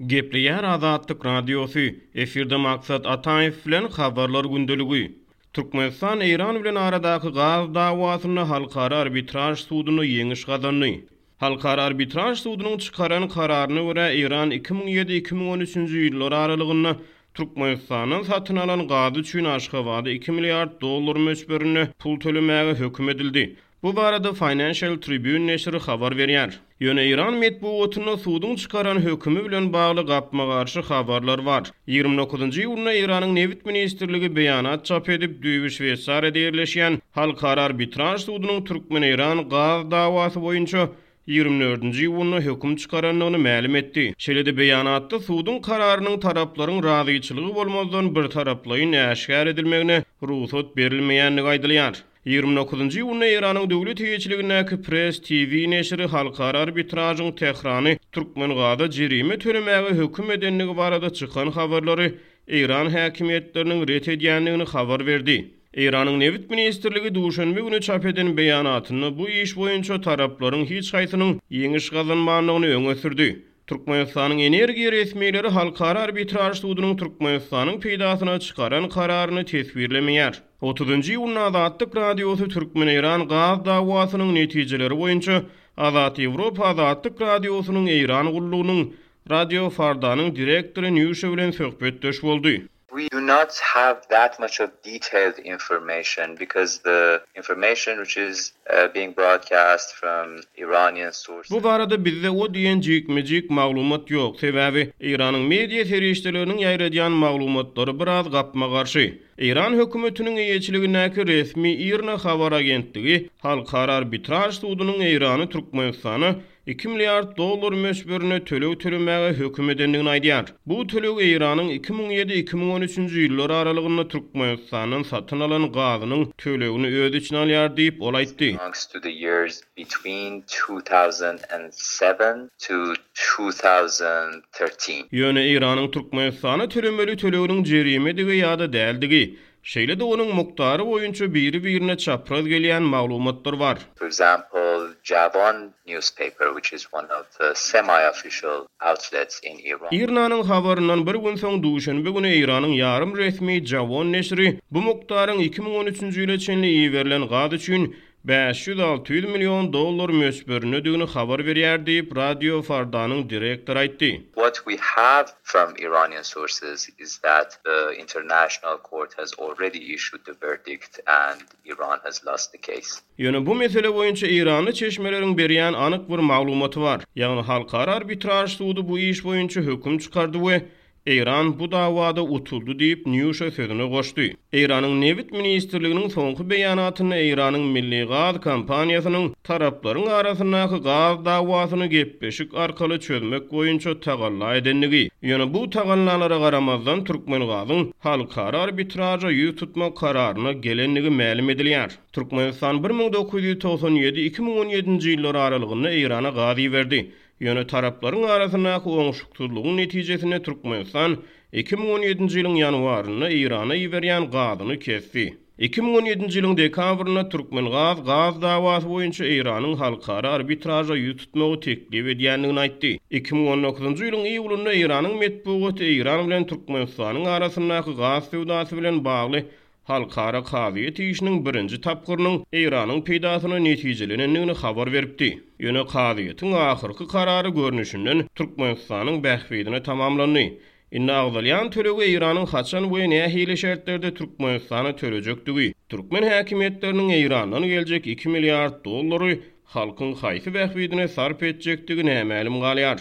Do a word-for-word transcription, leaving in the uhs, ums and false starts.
Gepleýär Azatlyk Radiosy, efirde Maksat Ataýew bilen Habarlar gündeligi. Türkmenistan Eýran bilen aradaky gaz dawasynda Halkara arbitraž sudunda ýeňiş gazandy. Halkara arbitraž sudunyň çykaran kararyna görä, Eýran iki müň ýedi-iki müň on üçünji ýyllar aralygynda Türkmenistandan satyn alan gazy üçin Aşgabada iki milliard dollar möçberinde pul tölemäge höküm edildi. Bu barada Financial Tribune neşiri habar berýär. Ýöne Eýran metbugatynda suduň çykaran hökümi bilen bagly gapma-garşy habarlar bar. Ýigrimi dokuzynjy iýunda Eýranyň Nebit ministrligi beýanat çap edip, düýbi Şweýsariýada ýerleşýän Halkara arbitraž sudunyň türkmen-eýran gaz dawasy boýunça ýigrimi dördünji iýunda höküm çykarandygyny mälim etdi. Şeýle-de beýanatda suduň kararynyň taraplaryň razyçylygy bolmazdan birtaraplaýyn äşgär edilmegine rugsat berilmeýändigi aýdylýar. Ýigrimi dokuzynjy iýunda Eýranyň döwlet eýeçiligindäki Press T V neşiri halkara arbitražyň Tährany Türkmengaza jerime tölemäge höküm edendigi barada çykan habarlary Eýran häkimiýetleriniň ret edýändigini habar berdi. Eýranyň Nebit ministrligi duşenbe güni çap eden beýanatynda bu iş boýunça taraplaryň hiç haýsynyň ýeňiş gazanmandygyny öňe sürdi. Türkmenistanyň energiýa resmileri halkara arbitraž sudunyň Türkmenistanyň peýdasyna çykaran kararyny teswirlemeýär. Otuzynjy iýunda Azatlyk Radiosy Türkmen-Eýran gaz dawasynyň netijeleri boýunça Azat Ýewropa Azatlyk Radiosynyň Eýran gullugynyň Radio Fardanyň direktory Nýuşa bilen söhbetdeş boldy. We do not have that much of detailed information because the information which is being broadcast from Iranian sources. Bu barada bizde o diýen jikme-jik maglumat ýok, sebäbi Eýranyň media serişdeleriniň ýaýradýan maglumatlary biraz gapma-garşy. Eýran hökümetiniň eýeçiligindäki resmi IRNA habar agentligi Halkara arbitraž sudunyň Eýrany Türkmenistana iki milliard dollar möçberinde töleg tölemäge höküm edendigini aýdýar. Bu töleg Eýranyň iki müň ýedi-iki müň on üçünji ýyllar aralygynda Türkmenistandan satyn alan gazynyň tölegini öz içine alýar diýip, ol aýtdy. Belongs to the years between two thousand and seven to two thousand thirteen. Ýöne Eýranyň Türkmenistana tölemeli töleginiň jerimedigi ýa-da däldigi, şeýle-de onuň mukdary boýunça biri-birine çapraz gelýän maglumatlar bar. For example, Javan newspaper, which is one of the semi-official outlets in Iran. IRNA-nyň habaryndan bir gün soň duşenbe güni Eýranyň ýarym resmi Javan neşiri bu mukdaryň iki müň on üçünji ýyla çenli iberilen gaz üçin bäş ýüz alty ýüz million dollar möçberindedigini habar berýär diýip, Radio Fardanyň direktory aýtdy. What we have from Iranian sources is that the international court has already issued the verdict and Iran has lost the case. Ýöne bu mesele boýunça Eýranly çeşmeleriň berýän anyk bir maglumaty bar. Ýagny halkara arbitraž sudy bu iş boýunça höküm çykardy we Eýran bu dawada utuldy diýip, Nýuşa sözüne goşdy. Eýranyň Nebit ministrliginiň soňky beýanatynda Eýranyň Milli Gaz kompaniýasynyň taraplaryň arasyndaky gaz dawasyny gepleşik arkaly çözmek boýunça tagalla edendigi, ýöne bu tagallalara garamazdan Türkmengazyň halkara arbitraža ýüz tutmak kararyna gelendigi mälim edilýär. Türkmenistan bir müň dokuz ýüz togsan ýedi iki müň on ýedinji ýyllar aralygynda Eýrana gaz iberdi. Ýöne taraplaryň arasyndaky oňşuksyzlygyň netijesinde Türkmenistan iki müň on ýedinji ýylyň ýanwarynda Eýrana iberýän gazyny kesdi. Iki müň on ýedinji ýylyň dekabrynda Türkmengaz gaz dawasy boýunça Eýranyň halkara arbitraža ýüz tutmagy teklip edýändigini aýtdy. Iki müň on dokuzynjy ýylyň iýulynda Eýranyň metbugaty Eýran bilen Türkmenistanyň arasyndaky gaz söwdasy bilen bagly halkara kazyýet işiniň birinji tapgyrynyň Eýranyň peýdasyna netijelenendigini habar beripdi. Ýöne kazyýetiň ahyrky karary görnüşinden Türkmenistanyň bähbidine tamamlandy. Indi agzalýan tölegi Eýranyň haçan we nähili şertlerde Türkmenistana tölejekdigi, türkmen häkimiýetleriniň Eýrandan geljek iki milliard dollary halkyň haýsy bähbidine sarp etjekdigi nämälim galýar.